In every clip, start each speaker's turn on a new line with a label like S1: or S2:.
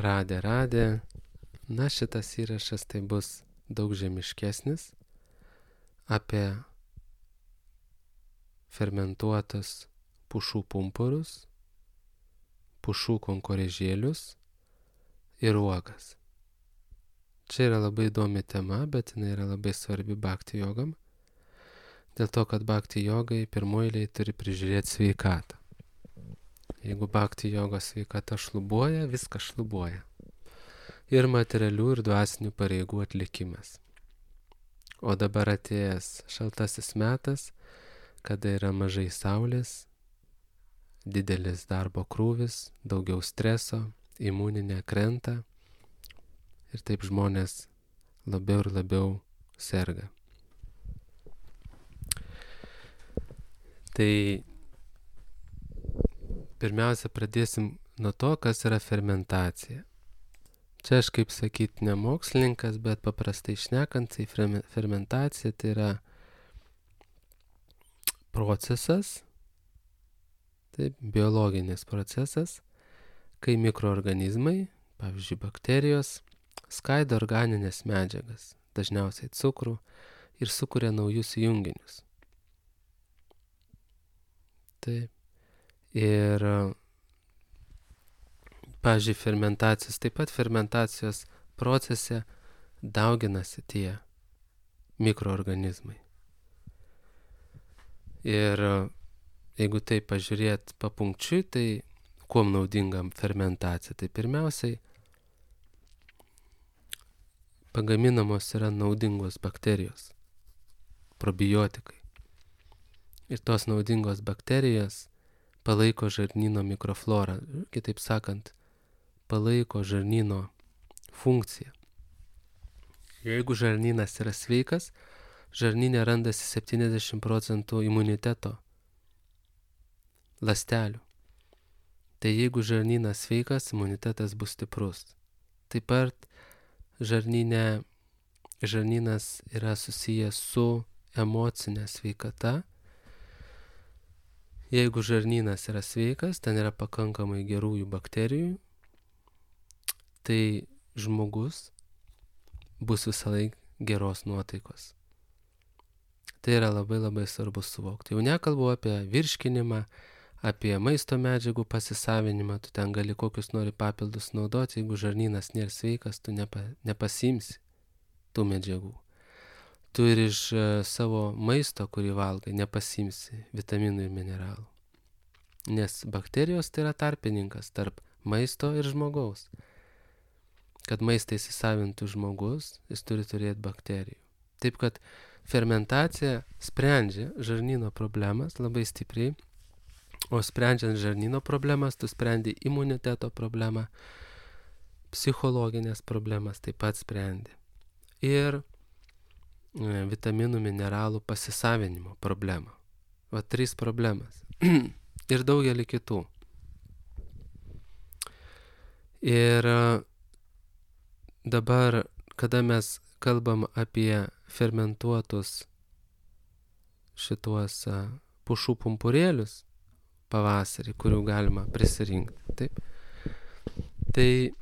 S1: Radė. Na, šitas įrašas tai bus daug žemiškesnis apie fermentuotus pušų pumpurus, pušų konkorėžėlius ir uogas. Čia yra labai įdomi tema, bet jinai yra labai svarbi bhakti jogam, dėl to, kad bhakti jogai pirmoji eilėje turi prižiūrėti sveikatą. Jeigu bhakti jogos sveikata šlubuoja, viskas šlubuoja. Ir materialių, ir dvasinių pareigų atlikimas. O dabar atėjęs šaltasis metas, kada yra mažai saulės, didelis darbo krūvis, daugiau streso, imuninė krenta ir taip žmonės labiau ir labiau serga. Tai pirmiausia pradėsim nuo to, kas yra fermentacija. Čia aš kaip sakyti ne mokslininkas, bet paprastai šnekant, tai fermentacija tai yra procesas, taip, biologinis procesas, kai mikroorganizmai, pavyzdžiui bakterijos, skaido organinės medžiagas, dažniausiai cukrų, ir sukuria naujus junginius. Taip. Ir, pavyzdžiui, fermentacijos procese dauginasi tie mikroorganizmai. Ir jeigu tai pažiūrėt papunkčiui, tai kuom naudinga fermentacija? Tai pirmiausiai pagaminamos yra naudingos bakterijos, probiotikai. Ir tos naudingos bakterijos palaiko žarnyno mikroflorą, kitaip sakant, palaiko žarnyno funkciją. Jeigu žarnynas yra sveikas, žarnyne randasi 70% imuniteto ląstelių. Tai jeigu žarnynas sveikas, imunitetas bus stiprus. Taip pat žarnynas yra susijęs su emocinė sveikata. Jeigu žarnynas yra sveikas, ten yra pakankamai gerųjų bakterijų, tai žmogus bus visąlaik geros nuotaikos. Tai yra labai labai svarbu suvokti. Jau nekalbu apie virškinimą, apie maisto medžiagų pasisavinimą, tu ten gali kokius nori papildus naudoti, jeigu žarnynas nėra sveikas, tu nepasiimsi tų medžiagų. Tu ir iš savo maisto, kurį valgai, nepasiimsi vitaminų ir mineralų. Nes bakterijos tai yra tarpininkas tarp maisto ir žmogaus. Kad maistą įsisavintų žmogus, jis turi turėti bakterijų. Taip kad fermentacija sprendžia žarnyno problemas labai stipriai, o sprendžiant žarnyno problemas, tu sprendi imuniteto problemą, psichologinės problemas taip pat sprendi. Ir vitaminų, mineralų pasisavinimo problemą. Va 3 problemas. Ir daugelį kitų. Ir dabar, kada mes kalbam apie fermentuotus šituos pušų pumpurėlius pavasarį, kurių galima prisirinkti, taip, tai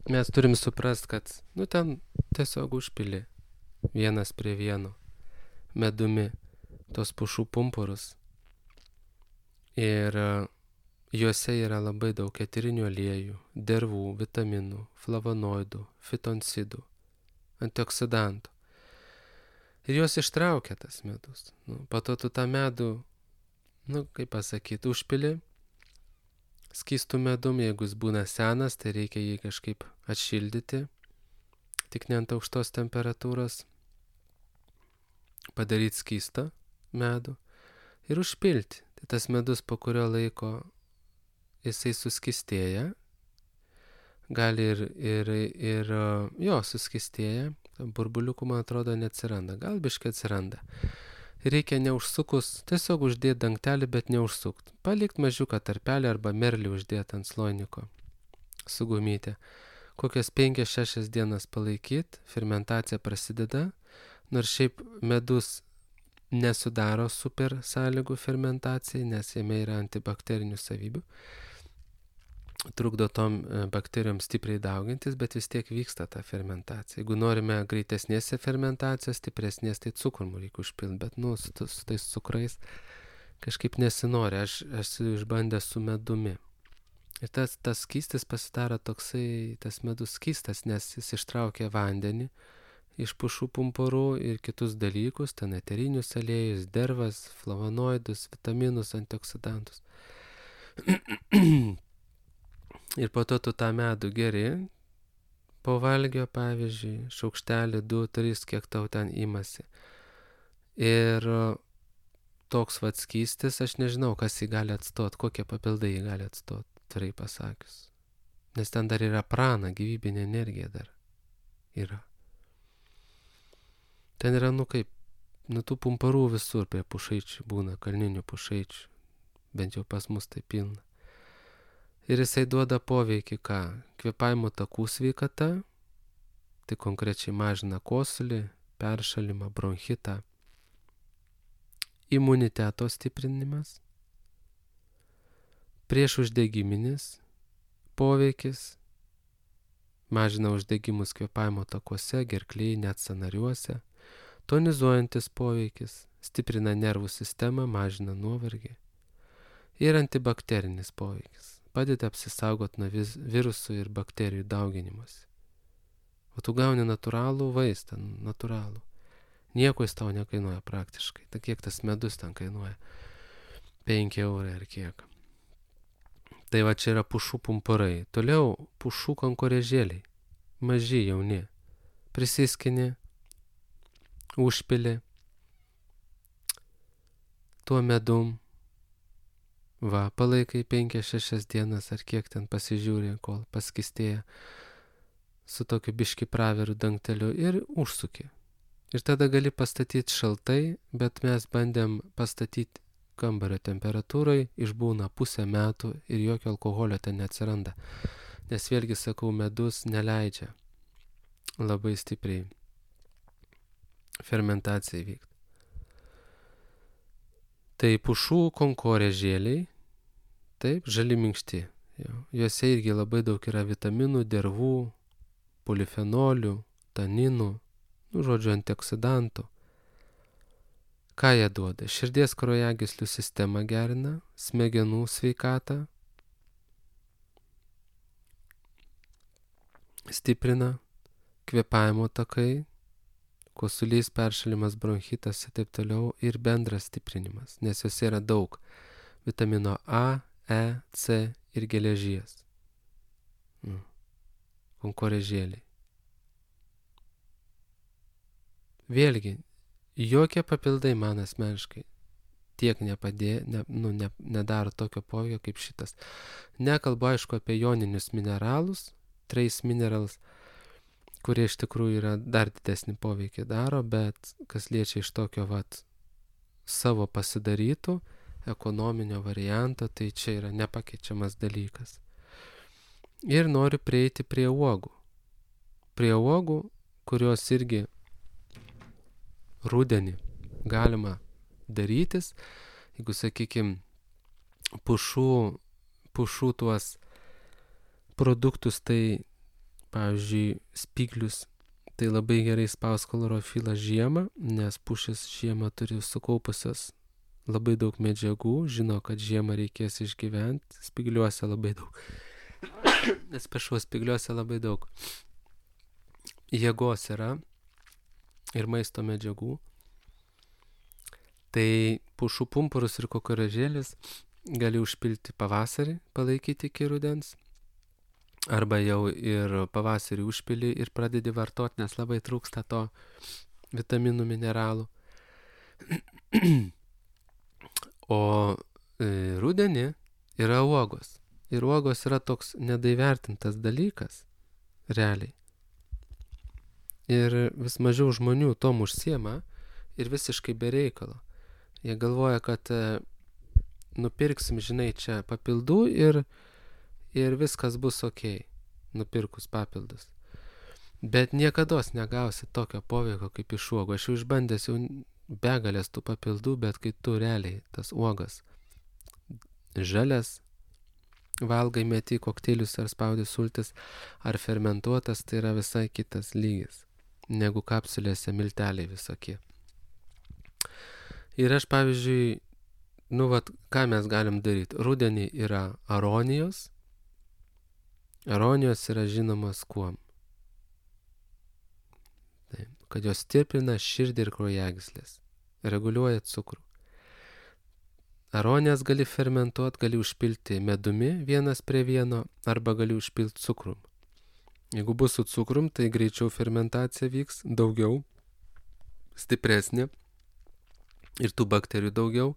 S1: mes turim suprast, kad ten tiesiog užpili vienas prie vieno medumi tos pušų pumpurus. Ir juose yra labai daug eterinių aliejų, dervų, vitaminų, flavonoidų, fitoncidų, antioksidantų. Ir juos ištraukia tas medus. Po to tu tą medų, kaip pasakyti, užpili skystų medum, jeigu jis būna senas, tai reikia jį kažkaip atšildyti, tik ne ant aukštos temperatūros, padaryti skystą medų ir užpilti. Tai tas medus po kurio laiko jisai suskystėja, gali ir suskystėja, burbuliukų, man atrodo, neatsiranda, gal biškai atsiranda. Reikia neužsukus, tiesiog uždėti dangtelį, bet neužsukt. Palikt mažiuką tarpelį arba merlį uždėti ant sloiniko su gumytė. Kokias 5-6 dienas palaikyti, fermentacija prasideda, nors šiaip medus nesudaro super sąlygų fermentacijai, nes jame yra antibakterinių savybių. trukdo tom bakterijom stipriai daugintis, bet vis tiek vyksta ta fermentacija. Jeigu norime greitesnės fermentacijos, stipresnės, tai cukrų reikia užpilti, bet su tais cukrais kažkaip nesinori. Aš esu išbandęs su medumi. Ir tas skystis pasidaro toksai, tas medus skystas, nes jis ištraukia vandenį iš pušų pumpurų ir kitus dalykus, ten eterinius aliejus, dervas, flavonoidus, vitaminus, antioksidantus. Ir po to tu tą medų geri, po valgio, pavyzdžiui, šaukštelį, 2, 3, kiek tau ten imasi. Ir toks vat skystis, aš nežinau, kas jį gali atstot, kokie papildai jį gali atstot, tvirtai pasakius. Nes ten dar yra prana, gyvybinė energija dar yra. Ten yra, tų pumparų visur prie pušaičių būna, kalninių pušaičių, bent jau pas mus tai pilna. Ir jisai duoda poveikį ką? Kvėpavimo takų sveikata, tai konkrečiai mažina kosulį, peršalimą, bronchitą, imuniteto stiprinimas, priešuždegiminis poveikis, mažina uždegimus kvėpavimo takuose, gerklėje, net sąnariuose, tonizuojantis poveikis, stiprina nervų sistemą, mažina nuovargį ir antibakterinis poveikis. Padeda apsisaugot nuo virusų ir bakterijų dauginimas. O tu gauni natūralų vaistą, natūralų. Nieko jis tau nekainuoja praktiškai. Tai kiek tas medus ten kainuoja? 5 eurai ar kiek. Tai va čia yra pušų pumpurai. Toliau pušų kankorėžėliai. Maži, jauni. Prisiskini, užpili tuo medum. Va, palaikai 5-6 dienas ar kiek ten pasižiūri, kol paskistėja su tokiu biški praviru dangteliu ir užsuki. Ir tada gali pastatyti šaltai, bet mes bandėm pastatyti kambario temperatūrai, išbūna pusę metų ir jokio alkoholio ten neatsiranda. Nes vėlgi sakau, medus neleidžia labai stipriai fermentacijai vykti. Tai pušų konkorėžėliai, taip, žali minkšti. Juose irgi labai daug yra vitaminų, dervų, polifenolių, taninų, žodžiu, antioksidantų. Ką jie duoda? Širdies kraujagyslių sistemą gerina, smegenų sveikatą, stiprina, kvėpavimo takai, kosulys, peršalimas, bronchitas ir taip toliau, ir bendras stiprinimas, nes juose yra daug vitamino A, E, C ir geležies. Konkorėžėliai. Vėlgi, jokie papildai man asmeniškai tiek nedaro tokio poveikio kaip šitas. Nekalbu, aišku, apie joninius mineralus, trace minerals, kurie iš tikrųjų yra dar didesnį poveikį daro, bet kas liečia iš tokio savo pasidarytų ekonominio varianto, tai čia yra nepakeičiamas dalykas. Ir noriu prieiti prie uogų. Prie uogų, kurios irgi rudenį galima darytis, jeigu, sakykime, pušų tuos produktus, tai pavyzdžiui, spyglius, tai labai gerai spaus chlorofilą žiemą, nes pušis žiemą turi sukaupusios labai daug medžiagų, žino, kad žiemą reikės išgyventi, spygliuose labai daug. Spygliuose labai daug jėgos yra ir maisto medžiagų. Tai pušų pumpurus ir konkorėžėlius gali užpilti pavasarį, palaikyti iki rudens. Arba jau ir pavasarį užpili ir pradedi vartoti, nes labai trūksta to vitaminų, mineralų. O rudenį yra uogos. Ir uogos yra toks nedaivertintas dalykas, realiai. Ir vis mažiau žmonių tom užsiema ir visiškai be reikalo. Jie galvoja, kad nupirksim, žinai, čia papildų ir viskas bus okei, nupirkus papildus. Bet niekados negausi tokio poveikio kaip iš uogų. Aš jau išbandęs jau begalės tų papildų, bet kai tu realiai tas uogas žalias, valgai, meti kokteilius ar spaudi sultis, ar fermentuotas, tai yra visai kitas lygis, negu kapsulėse milteliai visokie. Ir aš, pavyzdžiui, ką mes galim daryti? Rudenį yra aronijos. Aronijos yra žinomas kuom? Taip, kad jos stiprina širdį ir kraujagyslės, reguliuoja cukrų. Aronijas gali fermentuoti, gali užpilti medumi 1:1 arba gali užpilti cukrum. Jeigu bus su cukrum, tai greičiau fermentacija vyks, daugiau, stipresnė ir tų bakterijų daugiau,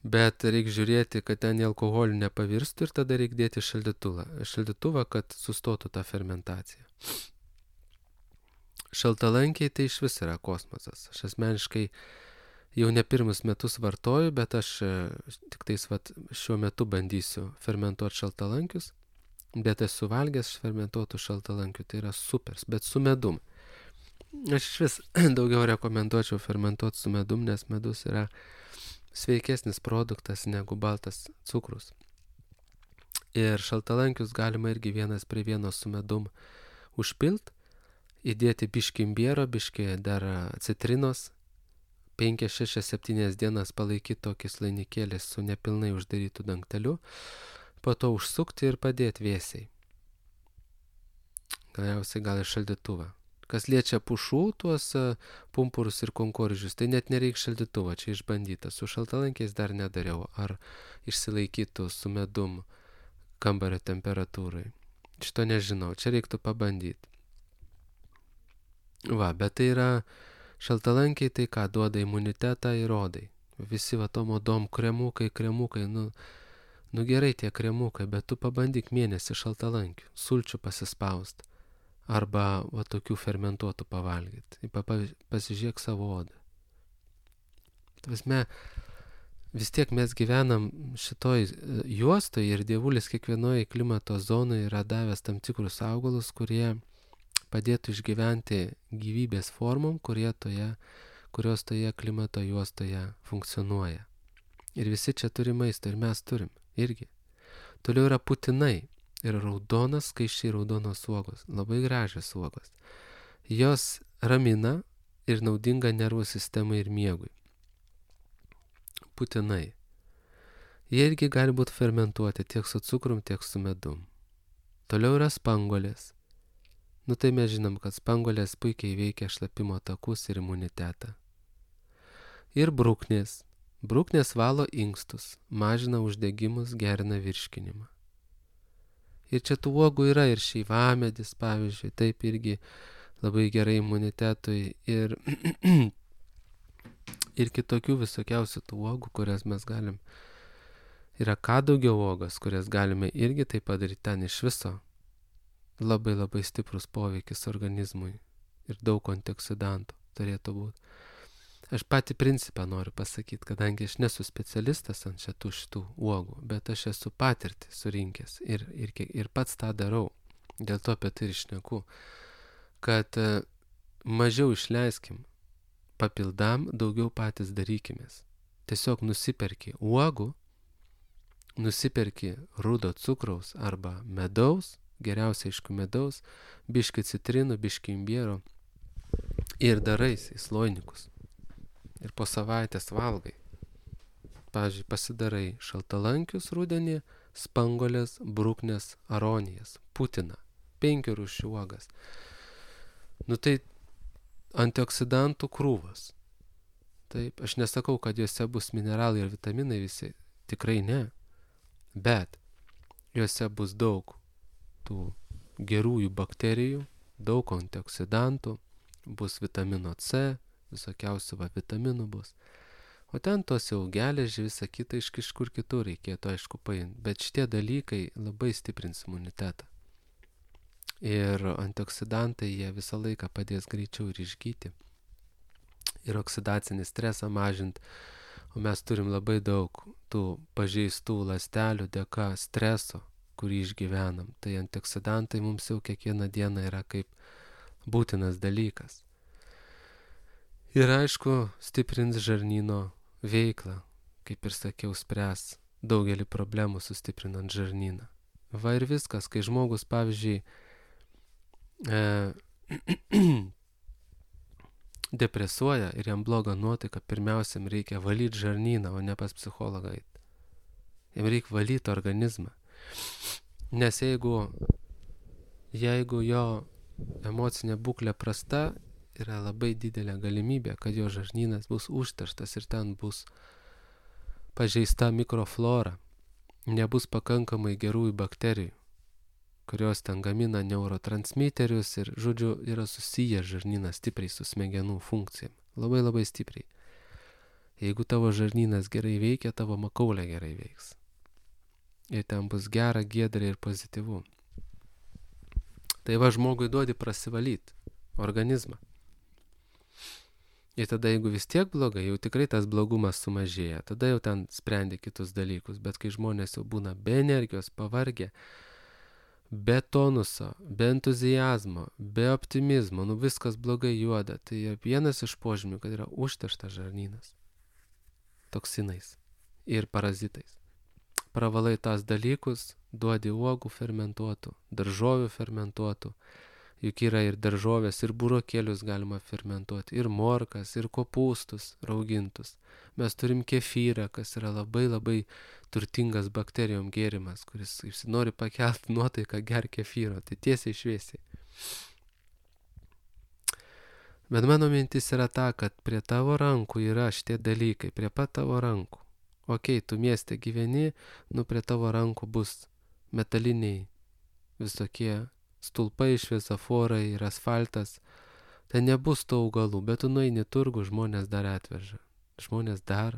S1: bet reikia žiūrėti, kad ten į alkoholį nepavirstų ir tada reikia dėti šaldytuvą, kad sustotų tą fermentaciją. Šaltalankiai tai iš vis yra kosmosas. Aš asmeniškai jau ne pirmus metus vartoju, bet aš tik tais šiuo metu bandysiu fermentuoti šaltalankius, bet esu valgęs fermentuotų šaltalankių, tai yra supers, bet su medum. Aš iš vis daugiau rekomenduočiau fermentuoti su medum, nes medus yra sveikesnis produktas negu baltas cukrus. Ir šaltalankius galima irgi 1:1 su medum užpilt, įdėti biškį imbiero, biškį dar citrinos, 5, 6, 7 dienas palaikyti tokį slainikėlį su nepilnai uždarytų dangteliu, po to užsukti ir padėti vėsiai. Galiausiai gal ir šaldytuvą. Kas liečia pušų, tuos pumpurus ir konkoržius, tai net nereikia šaldytuvo, čia išbandyta. Su šaltalankiais dar nedariau, ar išsilaikytų su medum kambario temperatūrai. Šito nežinau, čia reiktų pabandyti. Bet tai yra šaltalankiai, tai ką duoda imunitetą ir odai. Visi tom odom kremukai, nu gerai tie kremukai, bet tu pabandyk mėnesį šaltalankių, sulčių pasispaust, arba tokių fermentuotų pavalgyti. Pasižiūrėk savo odą. Vis tiek mes gyvenam šitoj juostoj ir Dievulis kiekvienoje klimato zonoje yra davęs tam tikrus augalus, kurie padėtų išgyventi gyvybės formom, kurios toje klimato juostoje funkcionuoja. Ir visi čia turi maisto ir mes turim irgi. Toliau yra putinai ir raudonas, skaičiai raudonos uogos, labai gražios uogos. Jos ramina ir naudinga nervų sistemai ir miegui. Putinai. Jie irgi gali būti fermentuoti tiek su cukrum, tiek su medum. Toliau yra spanguolės. Tai mes žinom, kad spanguolės puikiai veikia šlapimo takus ir imunitetą. Ir bruknės. Bruknės valo inkstus, mažina uždegimus, gerina virškinimą. Ir čia tų uogų yra ir šeivamedis, pavyzdžiui, taip irgi labai gerai imunitetui ir kitokių visokiausių tų uogų, kurias mes galim. Yra kadugio uogos, kurias galime irgi taip padaryti, ten iš viso labai labai stiprus poveikis organizmui ir daug antioksidantų turėtų būti. Aš patį principą noriu pasakyti, kadangi aš nesu specialistas ant šitų uogų, bet aš esu patirtį surinkęs ir pats tą darau. Dėl to apie tai ir šneku, kad mažiau išleiskim papildam, daugiau patys darykimės. Tiesiog nusiperki uogų, nusiperki rudo cukraus arba medaus, geriausia aišku medaus, biškį citrinų, biškį imbiero ir darais į sloinikus. Ir po savaitės valgai. Pavyzdžiui, pasidarai šaltalankius rudenį, spanguolės, bruknės, aronijas, putiną, 5 rūšių uogas. Tai antioksidantų krūvas. Taip, aš nesakau, kad juose bus mineralai ir vitaminai visi, tikrai ne, bet juose bus daug tų gerųjų bakterijų, daug antioksidantų, bus vitamino C, visokiausių vitaminų bus. O ten tos jau geležį, visą kitą iš kažkur kitur reikėtų aišku paimti, bet šitie dalykai labai stiprins imunitetą. Ir antioksidantai jie visą laiką padės greičiau ir išgyti. Ir oksidacinį stresą mažinti. O mes turim labai daug tų pažeistų ląstelių dėka streso, kurį išgyvenam. Tai antioksidantai mums jau kiekvieną dieną yra kaip būtinas dalykas. Ir aišku, stiprins žarnyno veiklą, kaip ir sakiau, spręs daugelį problemų sustiprinant žarnyną. Va ir viskas, kai žmogus, pavyzdžiui, depresuoja ir jam bloga nuotaika, pirmiausia, reikia valyti žarnyną, o ne pas psichologą eiti. Jam reikia valyti organizmą. Nes jeigu jo emocinė būklė prasta, yra labai didelė galimybė, kad jo žarnynas bus užterštas ir ten bus pažeista mikroflora, nebus pakankamai gerųjų bakterijų, kurios ten gamina neurotransmiterius ir, žodžiu, yra susiję žarnynas stipriai su smegenų funkcijom. Labai labai stipriai. Jeigu tavo žarnynas gerai veikia, tavo makaulė gerai veiks. Ir ten bus gera, giedra ir pozityvu. Tai va žmogui duodi prasivalyti organizmą. Ir tada, jeigu vis tiek blogai, jau tikrai tas blogumas sumažėja. Tada jau ten sprendi kitus dalykus. Bet kai žmonės jau būna be energijos, pavargę, be tonuso, be entuzijazmo, be optimizmo, viskas blogai juoda. Tai vienas iš požymių, kad yra užterštas žarnynas toksinais ir parazitais. Pravalai tas dalykus, duodi uogų fermentuotų, daržovių fermentuotų. Juk yra ir daržovės, ir burokėlius galima fermentuoti, ir morkas, ir kopūstus raugintus. Mes turim kefyrą, kas yra labai labai turtingas bakterijom gėrimas, kuris nori pakelti nuotaiką, gerk kefyro, tai tiesiai šviesiai. Bet mano mintis yra ta, kad prie tavo rankų yra šitie dalykai, prie pat tavo rankų. Okei, tu mieste gyveni, prie tavo rankų bus metaliniai visokie stulpai, šviesoforai ir asfaltas. Tai nebus tų augalų, bet tu nueini turgų, žmonės dar atveža. Žmonės dar,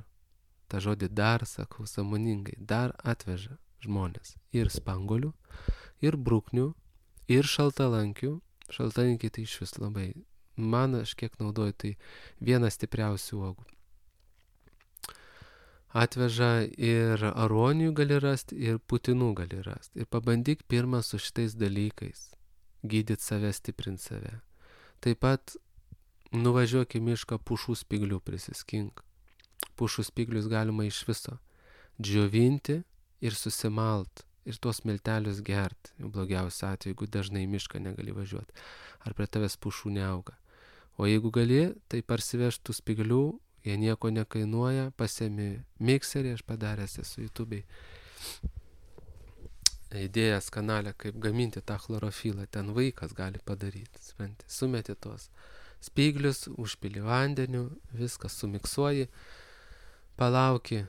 S1: tą žodį dar, sakau, sąmoningai, dar atveža žmonės. Ir spanguolių, ir bruknių, ir šaltalankių. Šaltalankiai tai iš vis labai. Man, aš kiek naudoju, tai vienas stipriausių uogų. Atveža ir aronijų gali rasti, ir putinų gali rasti. Ir pabandyk pirmą su šitais dalykais gydyti save, stiprinti save. Taip pat nuvažiuok į mišką, pušų spiglių prisiskink. Pušų spiglius galima iš viso džiovinti ir susimalt ir tuos miltelius gerti. Blogiausia atveju, jeigu dažnai į mišką negali važiuoti. Ar prie tavęs pušų neauga. O jeigu gali, tai parsivežt tų spiglių. Jie nieko nekainuoja, pasiemi mikserį, aš padaręs esu YouTube'ai įdėjęs kanalę, kaip gaminti tą chlorofilą, ten vaikas gali padaryti, sumeti tos spiglius, užpili vandeniu, viską sumiksuoji, palauki,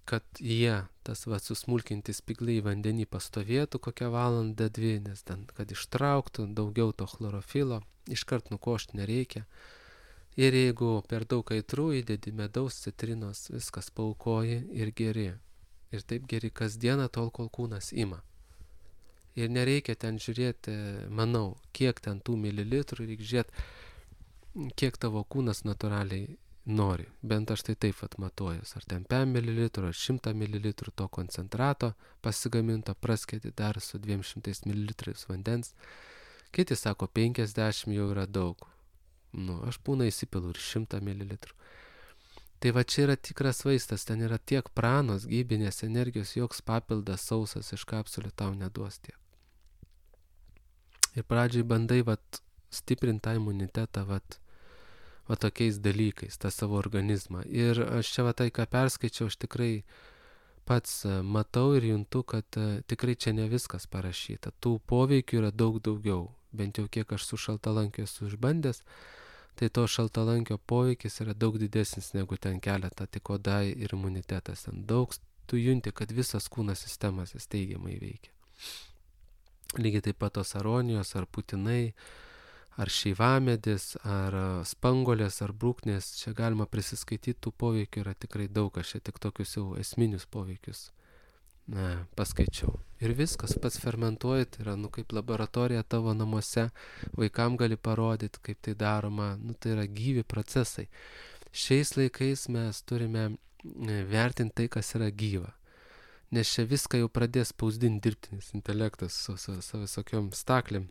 S1: kad jie, tas susmulkinti spigliai vandenį pastovėtų kokią valandą, dvi, nes ten, kad ištrauktų daugiau to chlorofilo, iškart nukošti nereikia. Ir jeigu per daug aitrų įdedi medaus, citrinos, viskas paukoji ir geri. Ir taip geri kasdieną, tol kol kūnas ima. Ir nereikia ten žiūrėti, manau, kiek ten tų mililitrų, reikia žiūrėti, kiek tavo kūnas natūraliai nori. Bent aš tai taip atmatuojuos. Ar ten 5 ml, ar 100 ml to koncentrato pasigaminto, praskėti dar su 200 ml vandens. Kiti sako, 50 jau yra daug. Aš būna įsipilu ir 100 ml. Tai va čia yra tikras vaistas, ten yra tiek pranos, gyvybinės energijos, joks papildas sausas iš kapsulių tau neduos tiek. Ir pradžiai bandai stiprinti tą imunitetą tokiais dalykais, tą savo organizmą. Ir aš čia tai, ką perskaičiau, aš tikrai pats matau ir juntu, kad tikrai čia ne viskas parašyta. Tų poveikių yra daug daugiau. Bent jau kiek aš su šaltalankiu esu išbandęs, tai to šaltalankio poveikis yra daug didesnis negu ten keletą, tik oda ir imunitetas. Ten daug tu junti, kad visas kūno sistemas jis teigiamai veikia. Lygiai taip pat tos aronijos, ar putinai, ar šeivamedis, ar spanguolės, ar bruknės, čia galima prisiskaityti, tų poveikių yra tikrai daug, aš čia tik tokius jau esminius poveikius paskaičiau. Ir viskas, pats fermentuoji, tai yra kaip laboratorija tavo namuose, vaikam gali parodyti, kaip tai daroma, tai yra gyvi procesai. Šiais laikais mes turime vertinti tai, kas yra gyva. Nes čia viską jau pradės spausdinti dirbtinis intelektas su visokiom staklėm.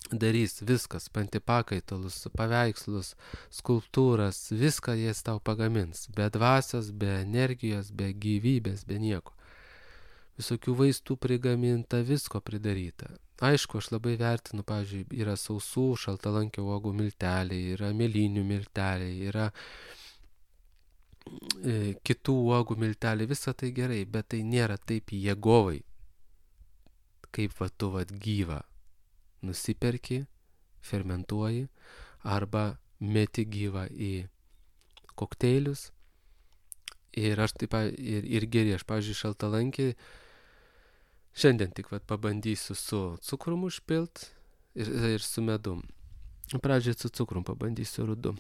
S1: darys viskas, pantipakaitalus, paveikslus, skulptūras, viską jis tau pagamins. Be dvasios, be energijos, be gyvybės, be nieko. Visokių vaistų prigaminta, visko pridaryta. Aišku, aš labai vertinu, pavyzdžiui, yra sausų, šaltalankio uogų milteliai, yra mėlynių milteliai, yra kitų uogų milteliai, visa tai gerai, bet tai nėra taip jėgovai, kaip va tu vat gyva nusiperki, fermentuoji arba meti gyvą į kokteilius ir aš taip ir geri, aš, pavyzdžiui, šaltalankį šiandien tik vat pabandysiu su cukrum užpilt ir su medum. Pradžiai su cukrum pabandysiu rudu.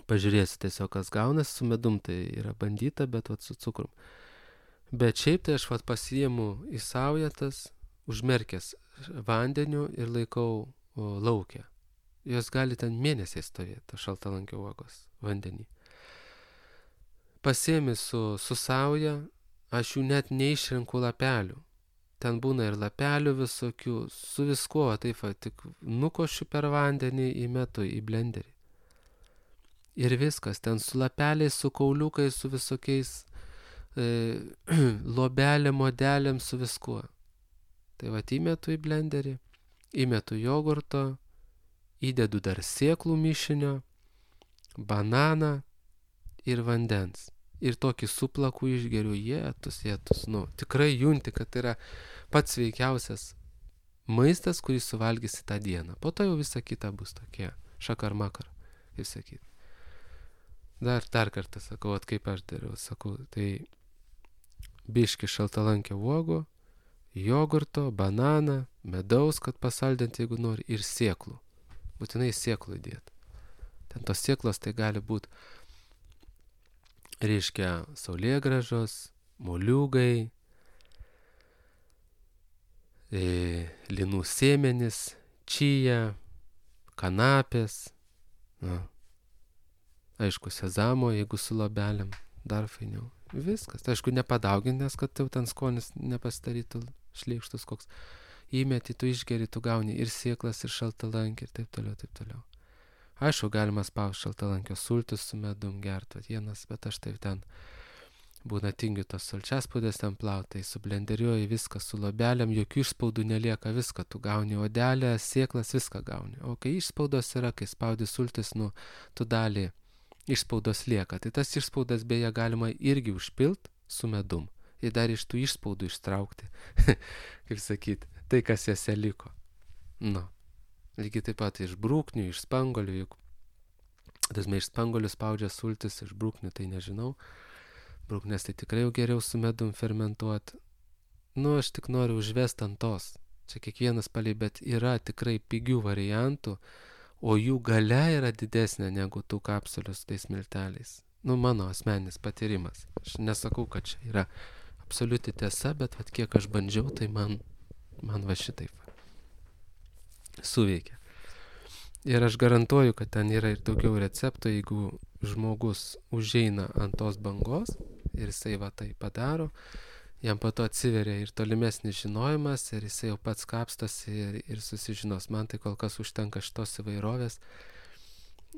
S1: Pažiūrėsiu tiesiog, kas gaunas, su medum tai yra bandyta, bet vat su cukrum. Bet šiaip tai aš vat pasiimu į saujetas, užmerkęs vandeniu ir laikau lauke. Jos gali ten mėnesiai stovėti, šaltalankio uogos vandenį. Pasiemi su sauja, aš jų net neišrenku lapelių. Ten būna ir lapelių visokių, su viskuo, taip va, tik nukošiu per vandenį, įmetu į blenderį. Ir viskas, ten su lapeliais, su kauliukais, su visokiais lobelėm, modelėm, su viskuo. Tai va, įmetu į blenderį, įmetu jogurto, įdedu dar sėklų mišinio, bananą ir vandens. Ir tokį suplakų išgeriu, jėtus, tikrai junti, kad tai yra pats sveikiausias maistas, kurį suvalgysi tą dieną. Po to jau visa kita bus tokie šakar-makar, kaip sakyti. Dar kartą sakau, kaip aš dariau, sakau, tai biški šaltalankio uogų, jogurto, bananą, medaus, kad pasaldinti, jeigu nori, ir sėklų. Būtinai sėklų įdėti. Ten tos sėklos tai gali būti, reiškia, saulėgrąžos, moliūgai, linų sėmenis, čija, kanapės, aišku, sezamo, jeigu su lobelėm, dar fainiau. Viskas. Tai aišku, nepadaugint, nes kad jau ten skonis nepasidarytų šleikštus koks. Įmeti, tu išgeri, tu gauni ir sėklas, ir šaltalankį, ir taip toliau, taip toliau. Aišku, galima spausti šaltalankio sultis su medum gerti, vienas, bet aš taip ten būna tingiu tos sulčiaspūdės ten plautai, su blenderiuoju viską, su lobelėm, jokių išspaudų nelieka, viską, tu gauni odelę, sėklas, viską gauni. O kai išspaudos yra, kai spaudi sultis, tu dalį išspaudos lieka. Tai tas išspaudas beje galima irgi užpilt su medum. Ir dar iš tų išspaudų ištraukti, kaip sakyti, tai kas jose liko. Lygiai taip pat iš brūknių, iš spangolių, juk dažnai iš spangolių spaudžia sultis, iš brūknių tai nežinau. Brūknės tai tikrai jau geriau su medum fermentuoti. Aš tik noriu užvesti ant tos. Čia kiekvienas palei, bet yra tikrai pigių variantų, o jų galia yra didesnė negu tų kapsulių su tais milteliais. Mano asmeninis patyrimas. Aš nesakau, kad čia yra absoliuti tiesa, bet vat kiek aš bandžiau, tai man va šitaip suveikia. Ir aš garantuoju, kad ten yra ir daugiau receptų, jeigu žmogus užeina ant tos bangos ir jisai va tai padaro, jam po to atsiveria ir tolimesnis žinojimas ir jisai jau pats kapstosi ir susižinos. Man tai kol kas užtenka šitos įvairovės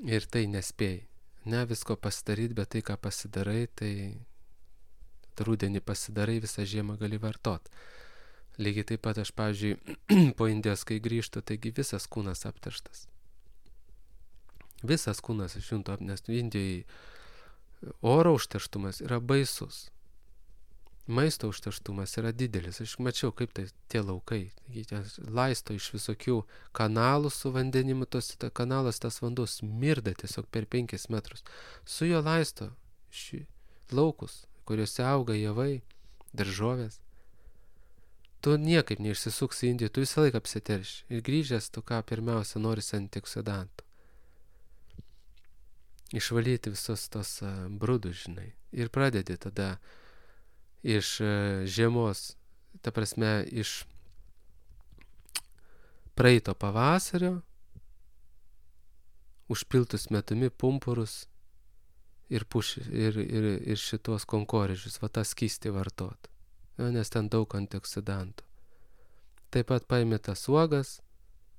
S1: ir tai nespėjai. Ne visko pasidaryti, bet tai, ką pasidarai, tai rudenį pasidarai, visą žiemą gali vartot. Lygiai taip pat aš, pavyzdžiui, po Indijos, kai grįžtu, taigi visas kūnas apterštas. Visas kūnas išjunto, nes Indijoje oro užterštumas yra baisus. Maisto užterštumas yra didelis. Aš mačiau, kaip tai tie laukai. Laisto iš visokių kanalų su vandenimu, kanalas tas vanduo smirda tiesiog per 5 metrus. Su jo laisto laukus, kuriuose auga javai, daržovės. Tu niekaip neišsisuksi Indijoje, tu visą laiką apsiterši. Ir grįžęs, tu ką pirmiausia norisi antioksidantų. Išvalyti visos tos brudus, žinai. Ir pradedi tada iš žiemos, ta prasme, iš praeito pavasario, užpiltus metumi pumpurus ir šitos konkorėžius, va tą skystį vartot. Nes ten daug antioksidantų. Taip pat paimi tas uogas,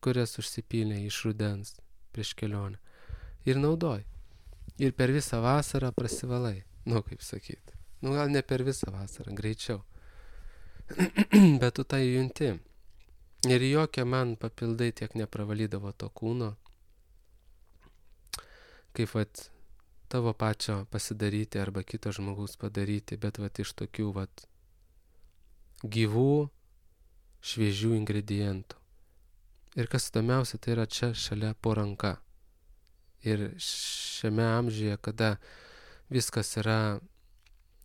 S1: kurias užsipylė iš rudens prieš kelionę. Ir naudoji. Ir per visą vasarą prasivalai. Nu, kaip sakyt. Nu, gal ne per visą vasarą, greičiau. Bet tu tai junti. Ir jokia man papildai tiek nepravalydavo to kūno, kaip vat tavo pačio pasidaryti arba kito žmogaus padaryti, bet vat iš tokių vat gyvų, šviežių ingredientų. Ir kas įdomiausia, tai yra čia šalia po ranka. Ir šiame amžiuje, kada viskas yra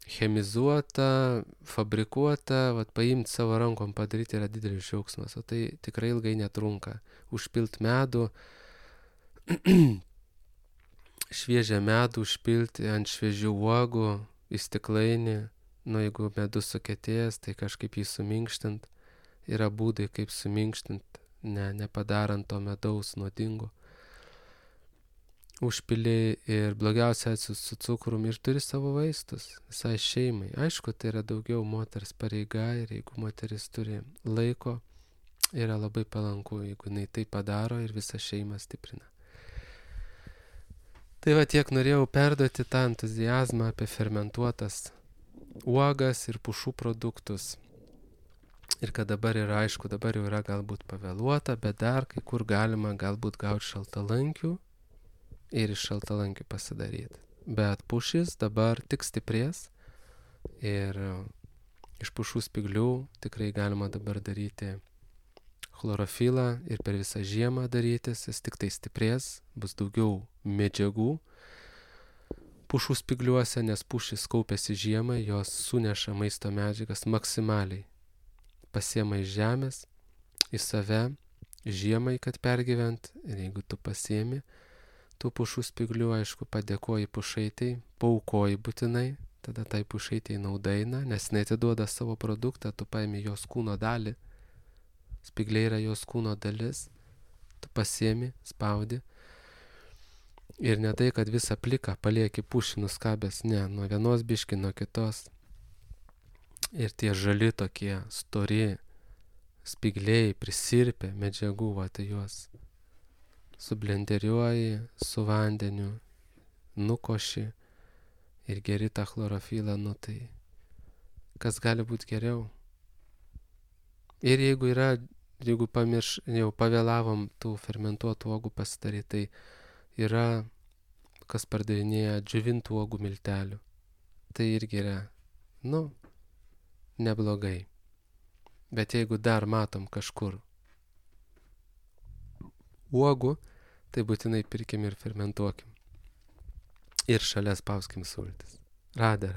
S1: chemizuota, fabrikuota, vat paimti savo rankom padaryti yra didelis džiaugsmas, o tai tikrai ilgai netrunka. Užpilt medų, šviežią medų užpilti ant šviežių uogų į stiklainį, nu jeigu medus sukietėjęs, tai kažkaip jį suminkštint. Yra būdai, kaip suminkštint, nepadarant to medaus nuodingo. Užpili ir blogiausia su cukrum ir turi savo vaistus visai šeimai. Aišku, tai yra daugiau moters pareiga ir jeigu moteris turi laiko, yra labai palanku, jeigu jinai tai padaro ir visą šeimą stiprina. Tai va tiek norėjau perduoti tą entuziazmą apie fermentuotas uogas ir pušų produktus. Ir kad dabar yra, aišku, dabar jau yra galbūt pavėluota, bet dar kai kur galima galbūt gauti šaltalankių ir iš šaltalankių pasidaryti. Bet pušis dabar tik stiprės ir iš pušų spyglių tikrai galima dabar daryti chlorofilą ir per visą žiemą darytis, jis tik tai stiprės, bus daugiau medžiagų pušų spygliuose, nes pušis kaupiasi žiemai, jos suneša maisto medžiagas maksimaliai. Pasiema iš žemės, į save, žiemai, kad pergyvent, ir jeigu tu pasiemi tų pušų spyglių, aišku, padėkoji pušaitai, paaukoji būtinai, tada tai pušaitai naudaina, nes jinai atiduoda savo produktą, tu paimi jos kūno dalį, spygliai yra jos kūno dalis, tu pasiemi, spaudi, ir ne tai, kad visą pliką palieki pušį nuskabęs, ne, nuo vienos biški, nuo kitos, ir tie žali tokie, stori, spygliai, prisirpę medžiagų, va, tai juos sublenderiuoji su vandeniu, nukoši ir geri tą chlorofilą, nu tai kas gali būti geriau. Ir jeigu yra, jeigu jau pavėlavom tų fermentuotų uogų pasidaryti, tai yra, kas pardavinėja džiovintų uogų miltelių. Tai irgi yra, nu, neblogai. Bet jeigu dar matom kažkur uogų, tai būtinai pirkim ir fermentuokim. Ir šalia spauskim sultis. Radė.